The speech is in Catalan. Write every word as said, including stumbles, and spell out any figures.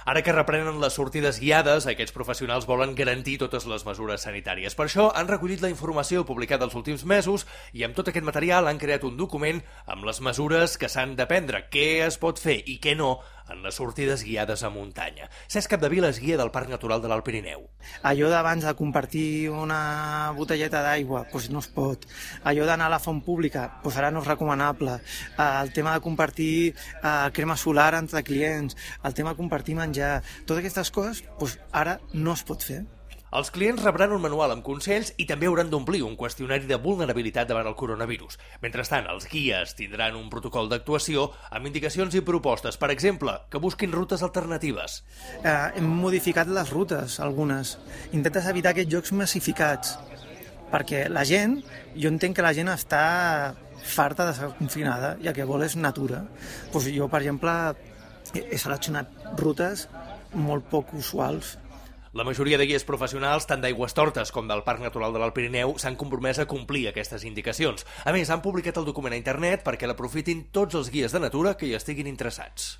Ara que reprenen les sortides guiades, aquests professionals volen garantir totes les mesures sanitàries. Per això han recollit la informació publicada els últims mesos i amb tot aquest material han creat un document amb les mesures que s'han de prendre, què es pot fer i què no en les sortides guiades a muntanya. Cesc Capdevila és guia del Parc Natural de l'Alt Pirineu. Allò d'abans de compartir una botelleta d'aigua, doncs no es pot. Allò d'anar a la font pública, doncs ara no és recomanable. El tema de compartir crema solar entre clients, el tema de compartir menjar, totes aquestes coses, doncs ara no es pot fer. Els clients rebran un manual amb consells i també hauran d'omplir un qüestionari de vulnerabilitat davant el coronavirus. Mentrestant, els guies tindran un protocol d'actuació amb indicacions i propostes. Per exemple, que busquin rutes alternatives. Eh, hem modificat les rutes, algunes. Intentes evitar aquests jocs massificats, perquè la gent, jo entenc que la gent està farta de ser confinada i el que vol és natura. Doncs jo, per exemple, he seleccionat rutes molt poc usuals. La majoria de guies professionals, tant d'Aigüestortes com del Parc Natural de l'Alt Pirineu, s'han compromès a complir aquestes indicacions. A més, han publicat el document a internet perquè l'aprofitin tots els guies de natura que hi estiguin interessats.